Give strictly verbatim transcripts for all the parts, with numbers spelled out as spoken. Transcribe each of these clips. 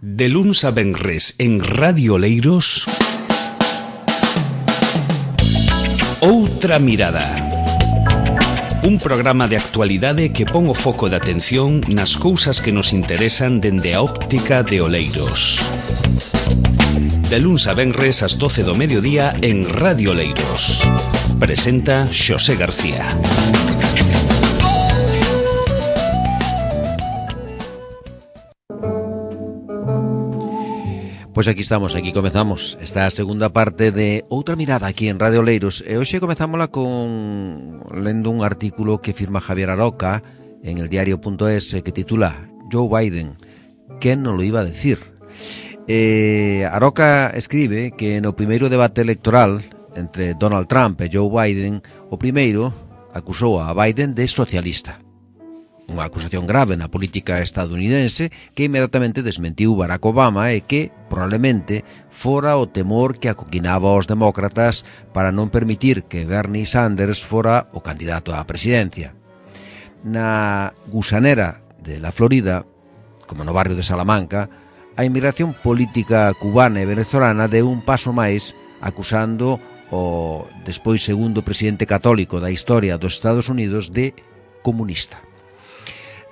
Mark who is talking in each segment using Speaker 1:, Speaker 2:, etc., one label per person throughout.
Speaker 1: De luns a venres en Radio Oleiros, Outra Mirada. Un programa de actualidade que pon o foco de atención nas cousas que nos interesan dende a óptica de Oleiros. De luns a venres ás doce do mediodía en Radio Oleiros. Presenta Xosé García.
Speaker 2: Pois aquí estamos, aquí comezamos esta segunda parte de Outra Mirada aquí en Radio Oleiros. E hoxe comezámola con lendo un artículo que firma Javier Aroca en el diario punto es que titula Joe Biden, quen non lo iba a decir? Eh, Aroca escribe que no primeiro debate electoral entre Donald Trump e Joe Biden, o primeiro acusou a Biden de socialista. Unha acusación grave na política estadounidense que inmediatamente desmentiu Barack Obama e que, probablemente, fora o temor que acoquinaba aos demócratas para non permitir que Bernie Sanders fora o candidato á presidencia. Na gusanera de la Florida, como no barrio de Salamanca, a inmigración política cubana e venezolana deu un paso máis acusando o despois segundo presidente católico da historia dos Estados Unidos de comunista.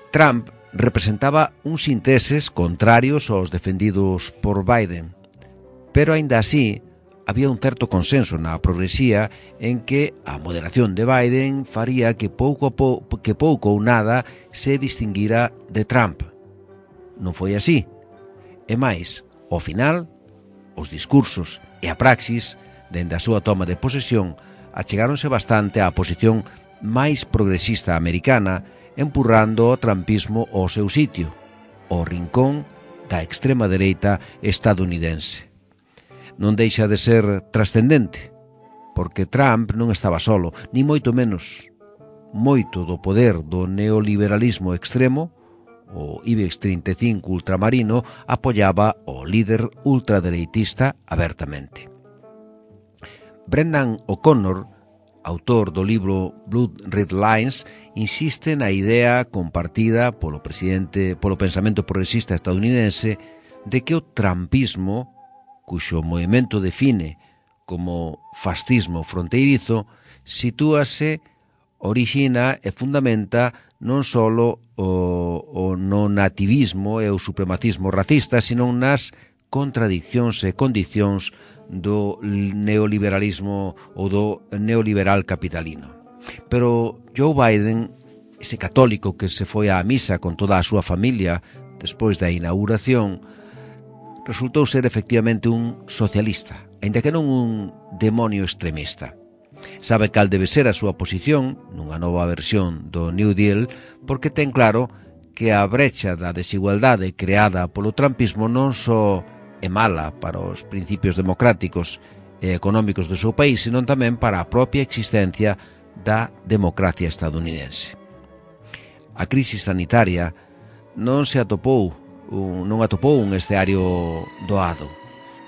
Speaker 2: Trump representaba uns intereses contrarios aos defendidos por Biden, pero aínda así había un certo consenso na progresía en que a moderación de Biden faría que pouco, pou, que pouco ou nada se distinguira de Trump. Non foi así. E máis, ao final, os discursos e a praxis, dende a súa toma de posesión, achegáronse bastante á posición máis progresista americana, empurrando o trumpismo ao seu sitio, o rincón da extrema dereita estadounidense. Non deixa de ser trascendente, porque Trump non estaba solo, ni moito menos. Moito do poder do neoliberalismo extremo, o IBEX trinta e cinco ultramarino, apoiaba o líder ultradereitista abertamente. Brendan O'Connor, autor do libro Blood Red Lines, insiste na idea compartida polo presidente, polo pensamento progresista estadounidense de que o trumpismo, cuxo movimento define como fascismo fronteirizo, sitúase, orixina e fundamenta non só o, o no nativismo e o supremacismo racista, sino nas contradiccións e condicións do neoliberalismo ou do neoliberal capitalino. Pero Joe Biden, ese católico que se foi á misa con toda a súa familia despois da inauguración, resultou ser efectivamente un socialista, aínda que non un demonio extremista. Sabe cal debe ser a súa posición nunha nova versión do New Deal, porque ten claro que a brecha da desigualdade creada polo trumpismo non só é mala para os principios democráticos e económicos do seu país, senón tamén para a propia existencia da democracia estadounidense. A crise sanitaria non se atopou, non atopou un escenario doado.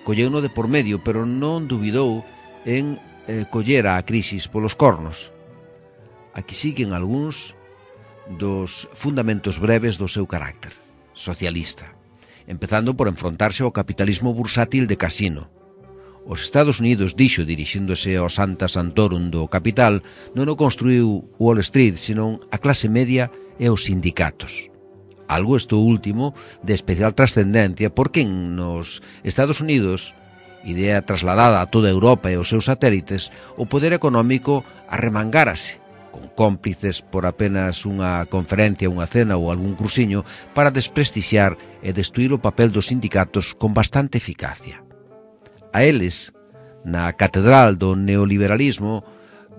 Speaker 2: Colleuno de por medio, pero non dubidou en eh, coller a crisis polos cornos. Aquí siguen algúns dos fundamentos breves do seu carácter socialista, empezando por enfrontarse ao capitalismo bursátil de casino. Os Estados Unidos, dixo dirixíndose ao Santa Santorum do capital, non o construiu Wall Street, senón a clase media e os sindicatos. Algo isto último de especial trascendencia porque nos Estados Unidos, idea trasladada a toda Europa e os seus satélites, o poder económico arremangárase, con cómplices por apenas unha conferencia, unha cena ou algún cruciño, para desprestixiar e destruir o papel dos sindicatos con bastante eficacia. A eles, na catedral do neoliberalismo,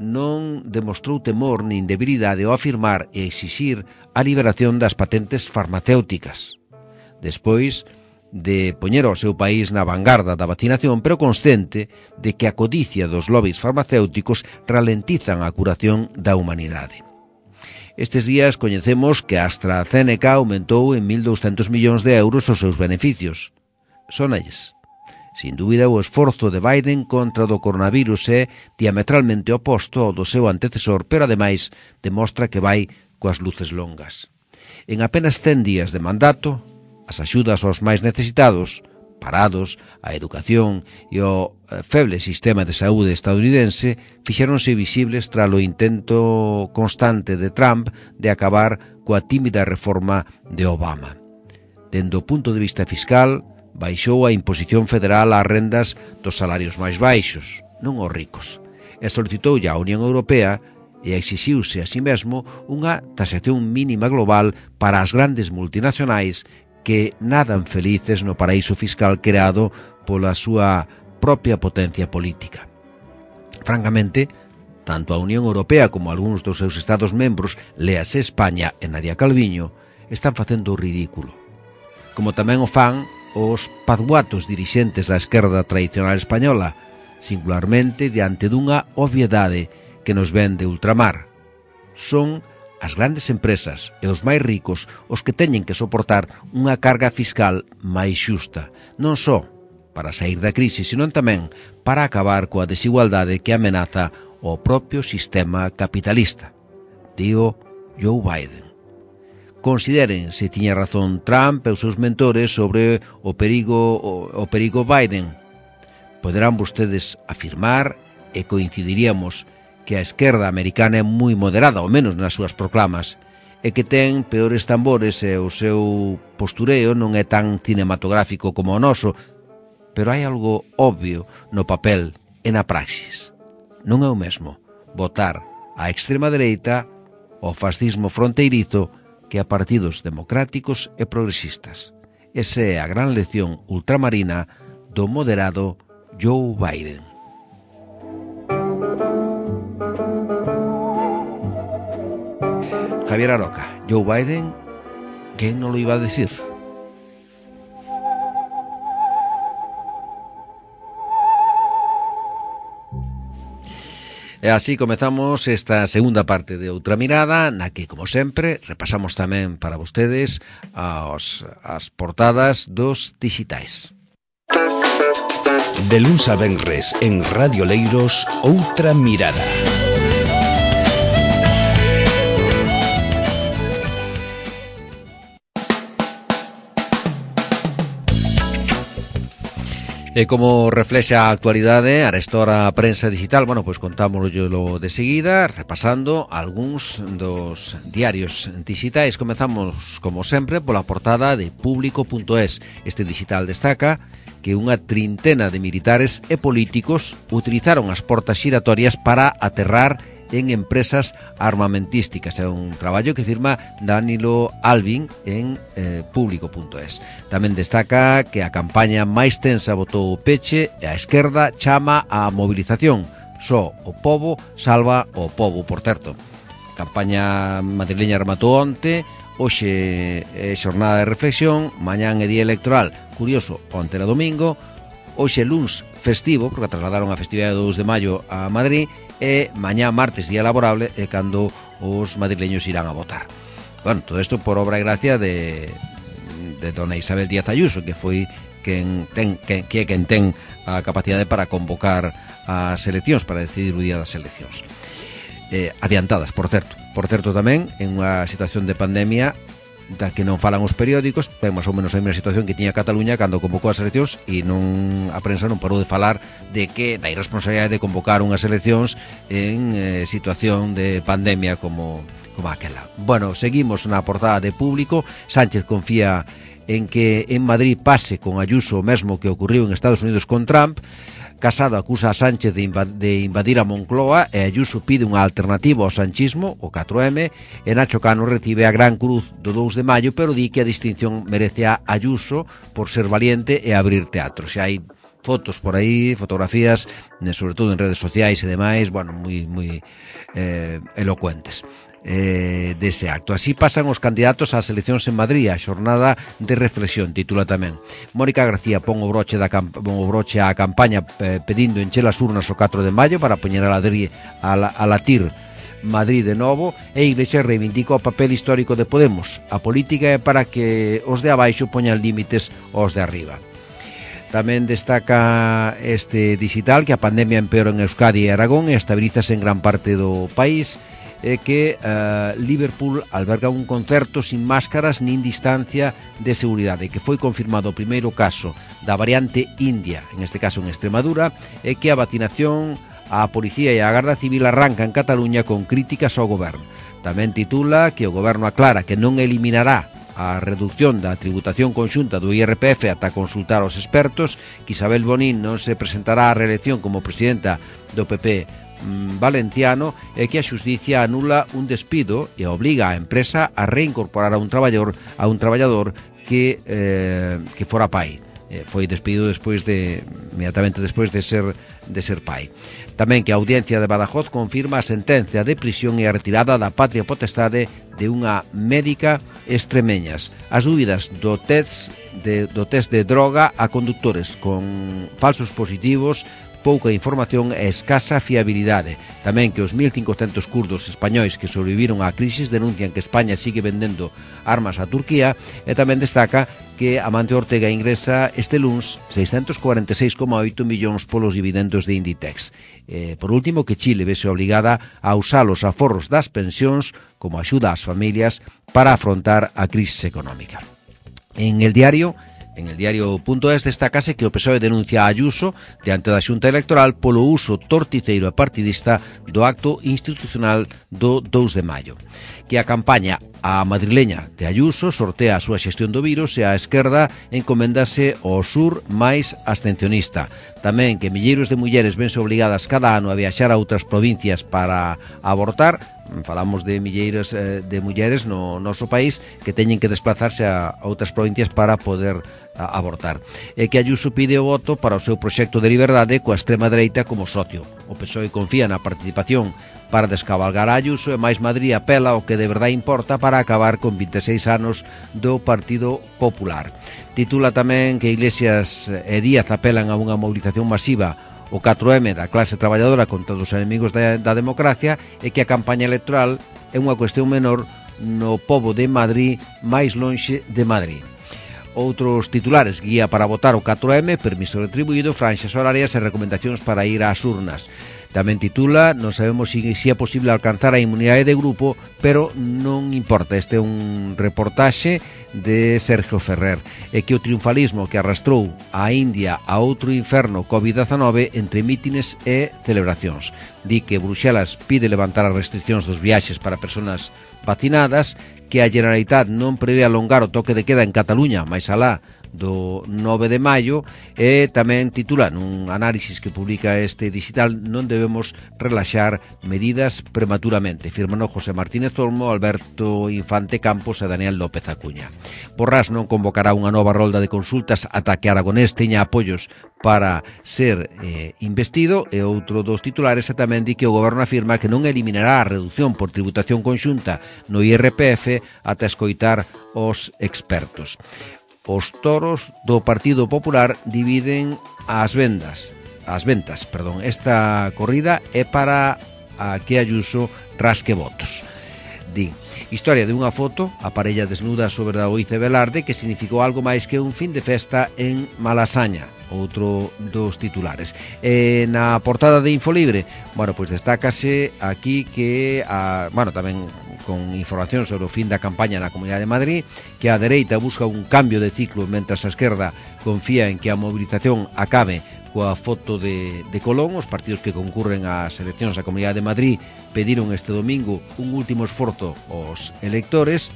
Speaker 2: non demostrou temor nin debilidade ao afirmar e exixir a liberación das patentes farmacéuticas, despois de poñer ao seu país na vanguarda da vacinación, pero consciente de que a codicia dos lobbies farmacéuticos ralentizan a curación da humanidade. Estes días coñecemos que a AstraZeneca aumentou en mil douscentos millóns de euros os seus beneficios. Son eles. Sin dúbida, o esforzo de Biden contra o do coronavirus é diametralmente oposto ao do seu antecesor, pero ademais demostra que vai coas luces longas. En apenas cen días de mandato, as axudas aos máis necesitados, parados, a educación e o feble sistema de saúde estadounidense fixéronse visibles tras o intento constante de Trump de acabar coa tímida reforma de Obama. Dende o punto de vista fiscal, baixou a imposición federal ás rendas dos salarios máis baixos, non aos ricos, e solicitou a Unión Europea e exixiuse a si mesmo unha taxación mínima global para as grandes multinacionais que nadan felices no paraíso fiscal creado pola súa propia potencia política. Francamente, tanto a Unión Europea como algúns dos seus Estados membros, léase España e Nadia Calviño, están facendo o ridículo. Como tamén o fan os pazguatos dirixentes da esquerda tradicional española, singularmente diante dunha obviedade que nos ven de ultramar. Son as grandes empresas e os máis ricos os que teñen que soportar unha carga fiscal máis xusta, non só para sair da crise, sino tamén para acabar coa desigualdade que amenaza o propio sistema capitalista. Dío Joe Biden. Consideren se tiña razón Trump e os seus mentores sobre o perigo, o, o perigo Biden. Poderán vostedes afirmar, e coincidiríamos, que a esquerda americana é moi moderada, ao menos nas súas proclamas, e que ten peores tambores e o seu postureo non é tan cinematográfico como o noso, pero hai algo obvio no papel e na praxis. Non é o mesmo votar á extrema dereita ou fascismo fronteirizo que a partidos democráticos e progresistas. Esa é a gran lección ultramarina do moderado Joe Biden. Javier Aroca, Joe Biden, ¿quién no lo iba a decir? E así comezamos esta segunda parte de Outra Mirada, na que, como sempre, repasamos tamén para vostedes as, as portadas dos digitais.
Speaker 1: De luns a venres en Radio Leiros, Outra Mirada.
Speaker 2: E como reflexa a actualidade, arestora a prensa digital, bueno, pois contámoslo de seguida, repasando algúns dos diarios digitais. Comezamos, como sempre, pola portada de público punto es. Este digital destaca que unha trintena de militares e políticos utilizaron as portas xiratorias para aterrar en empresas armamentísticas. É un traballo que firma Danilo Alvin en eh, público punto es. Tamén destaca que a campaña máis tensa botou o peche e a esquerda chama a movilización. Só o pobo salva o pobo, por certo. A campaña madrileña rematou onte, hoxe é xornada de reflexión, mañán é día electoral. Curioso, onte era domingo, hoxe é luns festivo, porque trasladaron a festividade do dous de maio a Madrid, e mañá martes, día laborable, é cando os madrileños irán a votar. Bueno, todo isto por obra e gracia de, de dona Isabel Díaz Ayuso, que foi quen ten, que, que é quen ten a capacidade para convocar as eleccións, para decidir o día das eleccións. Eh, adiantadas, por certo. Por certo tamén, en unha situación de pandemia da que non falan os periódicos, ben máis ou menos a mesma situación que tiña Cataluña cando convocou as eleccións, e non a prensa non parou de falar de que da irresponsabilidade de convocar unhas eleccións en eh, situación de pandemia como, como aquela. Bueno, seguimos na portada de Público. Sánchez confía en que en Madrid pase con Ayuso o mesmo que ocurriu en Estados Unidos con Trump. Casado acusa a Sánchez de, invad- de invadir a Moncloa e Ayuso pide unha alternativa ao sanchismo, o catro eme, e Nacho Cano recibe a Gran Cruz do dous de maio, pero di que a distinción merece a Ayuso por ser valiente e abrir teatro. Se hai fotos por aí, fotografías, sobre todo en redes sociais e demais, bueno, moi, moi eh, elocuentes. Eh, dese acto. Así pasan os candidatos ás eleccións en Madrid. A xornada de reflexión titula tamén. Mónica García pon o broche, da camp- pon o broche á campaña eh, pedindo encher as urnas o catro de maio para poñer a, ladri, a, la, a latir Madrid de novo, e Iglesias reivindica o papel histórico de Podemos. A política é para que os de abaixo poñan límites aos de arriba. Tamén destaca este digital que a pandemia empeora en Euskadi e Aragón e estabilízase en gran parte do país. é que uh, Liverpool alberga un concerto sin máscaras nin distancia de seguridade, que foi confirmado o primeiro caso da variante india, en este caso en Extremadura, e que a vacinación a Policía e a Garda Civil arranca en Cataluña con críticas ao goberno. Tamén titula que o goberno aclara que non eliminará a reducción da tributación conxunta do I R P F ata consultar aos expertos, que Isabel Bonín non se presentará á reelección como presidenta do P P valenciano e que a xusticia anula un despido e obliga a empresa a reincorporar a un traballador a un traballador que eh, que fora pai. Eh, foi despedido despois de inmediatamente despois de ser de ser pai. Tamén que a Audiencia de Badajoz confirma a sentencia de prisión e a retirada da patria potestade de unha médica extremeñas. As dúbidas do test de do test de droga a condutores con falsos positivos, pouca información e escasa fiabilidade. Tamén que os mil cincocentos kurdos españois que sobreviviron á crisis denuncian que España sigue vendendo armas a Turquía, e tamén destaca que Amancio Ortega ingresa este luns seiscentos cuarenta e seis coma oito millóns polos dividendos de Inditex. Eh, por último, que Chile vese obligada a usar os aforros das pensións como axuda ás familias para afrontar a crisis económica. En el diario En el diario.es destacase que o P S O E denuncia a Ayuso diante da Xunta Electoral polo uso torticeiro e partidista do acto institucional do dous de maio. Que a campaña a madrileña de Ayuso sortea a súa xestión do virus e a esquerda encomendase ao sur máis abstencionista. Tamén que milleiros de mulleres vense obligadas cada ano a viaxar a outras provincias para abortar. Falamos de milleiros eh, de mulleres no noso país que teñen que desplazarse a outras provincias para poder a, abortar. E que Ayuso pide o voto para o seu proxecto de liberdade coa extrema dereita como socio. O P S O E confía na participación para descabalgar a Ayuso e máis Madrid apela o que de verdade importa para acabar con vinte e seis anos do Partido Popular. Titula tamén que Iglesias e Díaz apelan a unha movilización masiva o catro eme da clase traballadora contra os enemigos da, da democracia, e que a campaña electoral é unha cuestión menor no pobo de Madrid máis lonxe de Madrid. Outros titulares: guía para votar o catro eme, permiso retribuído, franxas horarias e recomendacións para ir ás urnas. Tamén titula: non sabemos se si, si é posible alcanzar a inmunidade de grupo, pero non importa. Este é un reportaxe de Sergio Ferrer. E que o triunfalismo que arrastrou a India a outro inferno covid dezenove entre mítines e celebracións. Di que Bruxelas pide levantar as restriccións dos viaxes para persoas vacinadas, que a Generalitat non prevé alongar o toque de queda en Cataluña máis alá do nove de maio, e tamén titula nun análisis que publica este digital: non debemos relaxar medidas prematuramente. Firman José Martínez Olmo, Alberto Infante Campos e Daniel López Acuña. Borrás non convocará unha nova rolda de consultas ata que Aragonés teña apoios para ser eh, investido, e outro dos titulares é tamén di que o goberno afirma que non eliminará a reducción por tributación conxunta no I R P F ata escoitar os expertos. Os toros do Partido Popular dividen as vendas, as ventas, perdón. Esta corrida é para a que Ayuso rasque votos. Din: historia de unha foto, a parella desnuda sobre a Oice Velarde, que significou algo máis que un fin de festa en Malasaña. Outro dos titulares. E na portada de Infolibre, bueno, pois destácase aquí que a, bueno, tamén con información sobre o fin da campaña na Comunidade de Madrid, que a dereita busca un cambio de ciclo, mentras a esquerda confía en que a movilización acabe coa foto de, de Colón. Os partidos que concurren ás eleccións da Comunidade de Madrid pediron este domingo un último esforzo aos electores.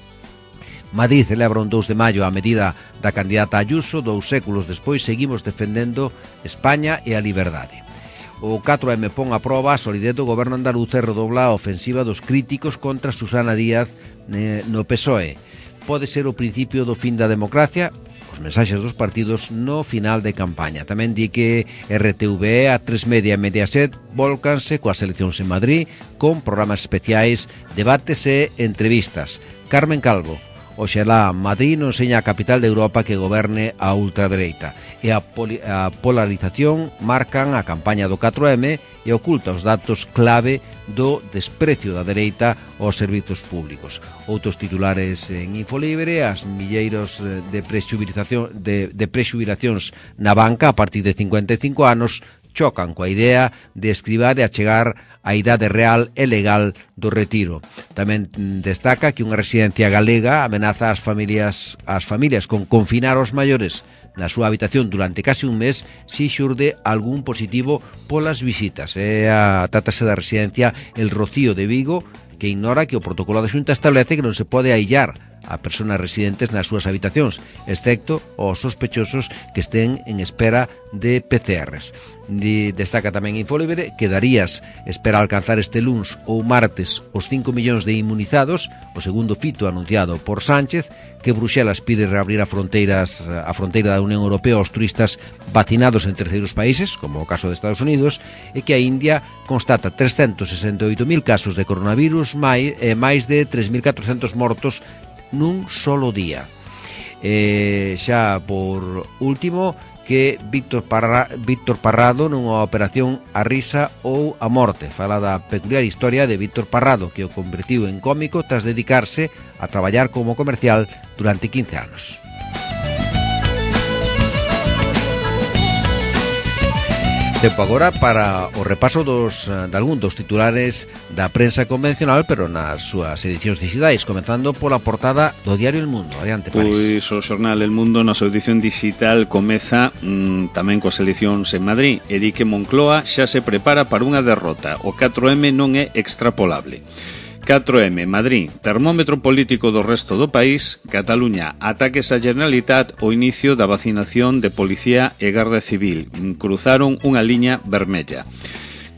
Speaker 2: Madrid celebra un dous de maio a medida da candidata Ayuso. Dous séculos despois seguimos defendendo España e a liberdade. O catro eme pon a proba a solidez do goberno andaluz e redobla a ofensiva dos críticos contra Susana Díaz no P S O E. Pode ser o principio do fin da democracia? Os mensaxes dos partidos no final de campaña. Tamén di que R T V E, A tres Media e Mediaset volcanse coas eleccións en Madrid con programas especiais, debates e entrevistas. Carmen Calvo: oxalá Madrid non seña a capital de Europa que goberne a ultradereita. E a, poli- a polarización marcan a campaña do catro eme e oculta os datos clave do desprecio da dereita aos servizos públicos. Outros titulares en Infolibre: as milleiros de prexubilación de, de prexubilacións na banca a partir de cincuenta e cinco anos chocan coa idea de escribir e achegar a idade real e legal do retiro. Tamén destaca que unha residencia galega amenaza as familias, as familias con confinar os maiores na súa habitación durante case un mes si xurde algún positivo polas visitas. E a trátase da residencia El Rocío de Vigo, que ignora que o protocolo da Xunta establece que non se pode aillar a persoas residentes nas súas habitacións, excepto os sospechosos que estén en espera de P C Rs. De, destaca tamén Infolibre que Darías espera alcanzar este luns ou martes os cinco millóns de inmunizados, o segundo fito anunciado por Sánchez, que Bruxelas pide reabrir a fronteiras a fronteira da Unión Europea aos turistas vacinados en terceiros países, como o caso de Estados Unidos, e que a India constata trescentos sesenta e oito mil casos de coronavirus máis, e máis de tres mil catrocentos mortos nun solo día. Eh, xa por último, que Víctor, Parra, Víctor Parrado nunha operación a risa ou a morte. Fala da peculiar historia de Víctor Parrado, que o convertiu en cómico tras dedicarse a traballar como comercial durante quince anos. Tempo agora para o repaso dos, de algún dos titulares da prensa convencional, pero nas súas edicións digitais, comenzando pola portada do diario El Mundo. Adiante, París.
Speaker 3: Pois o xornal El Mundo na súa edición digital comeza mmm, tamén coas eleccións en Madrid e di que Moncloa xa se prepara para unha derrota. O catro eme non é extrapolable. catro eme, Madrid, termómetro político do resto do país. Cataluña, ataques á Generalitat o inicio da vacinación de Policía e Garda Civil. Cruzaron unha liña vermella.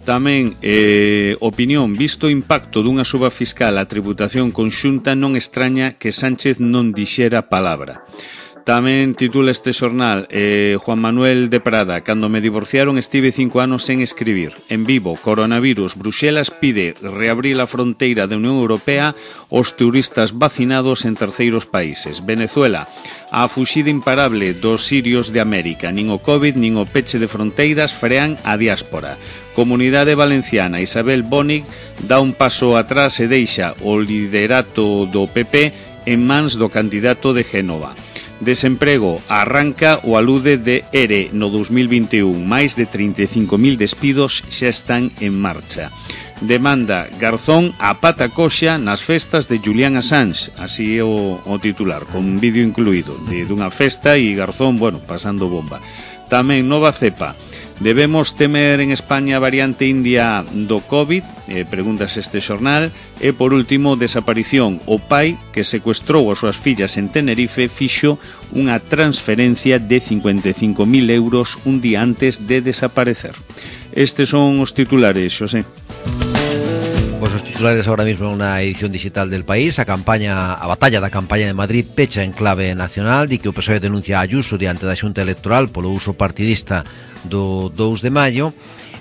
Speaker 3: Tamén, eh, opinión, visto o impacto dunha suba fiscal á tributación conxunta, non extraña que Sánchez non dixera palabra. Tamén titula este xornal eh, Juan Manuel de Prada: cando me divorciaron estive cinco anos sen escribir. En Vivo, coronavirus, Bruxelas pide reabrir a fronteira da Unión Europea aos turistas vacinados en terceiros países. Venezuela, a fuxida imparable dos sirios de América. Nin o COVID nin o peche de fronteiras frean a diáspora. Comunidade Valenciana, Isabel Bonig dá un paso atrás e deixa o liderato do P P en mans do candidato de Génova. Desemprego, arranca o alude de ERE no dos mil vinte e un. Máis de trinta e cinco mil despidos xa están en marcha. Demanda Garzón a pata coxa nas festas de Julian Assange. Así é o, o titular, con vídeo incluído, de dunha festa e Garzón, bueno, pasando bomba. Tamén nova cepa. Debemos temer en España a variante india do COVID? Eh, preguntas este xornal. E por último, desaparición. O pai que secuestrou as súas fillas en Tenerife fixo unha transferencia de cincuenta e cinco mil euros un día antes de desaparecer. Estes son os titulares, Xosé.
Speaker 2: Pues os titulares ahora mismo na edición digital del País. A campaña, a batalla da campaña de Madrid pecha en clave nacional. Di que o P S O E denuncia a Ayuso diante da Xunta Electoral polo uso partidista do dous de maio.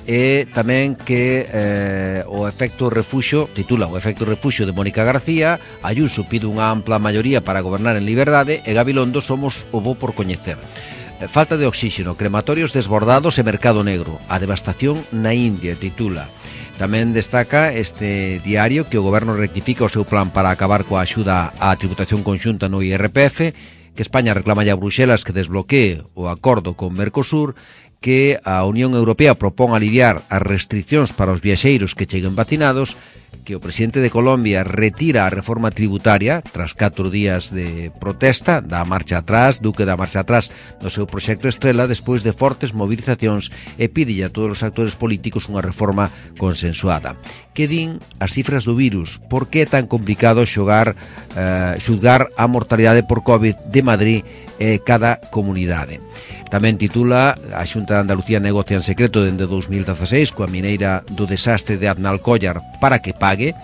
Speaker 2: E tamén que eh, o efecto refuxo, titula o efecto refuxo de Mónica García. Ayuso pide unha ampla maioría para gobernar en liberdade e Gabilondo somos o bo por coñecer. Falta de oxígeno, crematorios desbordados e mercado negro. A devastación na India, titula. Tamén destaca este diario que o goberno rectifica o seu plan para acabar coa axuda á tributación conxunta no I R P F, que España reclama a Bruxelas que desbloquee o acordo con Mercosur, que a Unión Europea propón aliviar as restriccións para os viaxeiros que cheguen vacinados, que o presidente de Colombia retira a reforma tributaria tras catro días de protesta, da marcha atrás, Duque da marcha atrás do seu proxecto Estrela despois de fortes movilizacións e pide a todos os actores políticos unha reforma consensuada. Que din as cifras do virus? Por que é tan complicado xogar, eh, xulgar a mortalidade por COVID de Madrid e cada comunidade? Tamén titula a Xunta de Andalucía negocia en secreto dende dous mil dezaseis coa mineira do desastre de Aznalcóllar para que pague.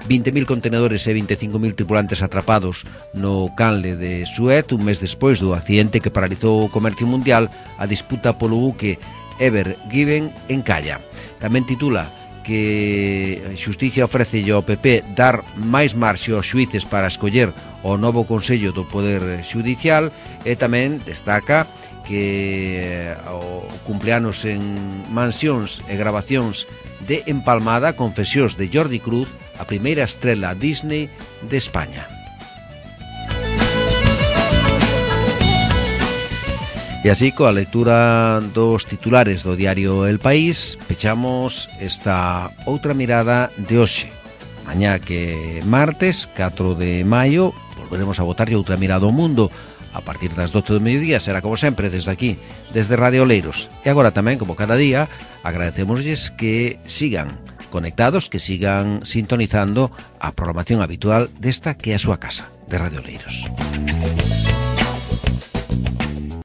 Speaker 2: vinte mil contenedores e vinte e cinco mil tripulantes atrapados no canle de Suez un mes despois do accidente que paralizou o comercio mundial. A disputa polo buque Ever Given encalla. Tamén titula que a Xusticia ofrece ao P P dar máis marxe aos xuíces para escoller o novo Consello do Poder Xudicial. E tamén destaca que o cumpleanos en mansións e grabacións de Empalmada, confesións de Jordi Cruz, a primeira estrela Disney de España. E así, coa lectura dos titulares do diario El País, pechamos esta outra mirada de hoxe. Mañá que martes, catro de maio, volveremos a botarlle outra mirada ao mundo. A partir das doce do mediodía será como sempre desde aquí, desde Radio Oleiros. E agora tamén, como cada día, agradecémosles que sigan conectados, que sigan sintonizando a programación habitual desta que é a súa casa, de Radio Oleiros.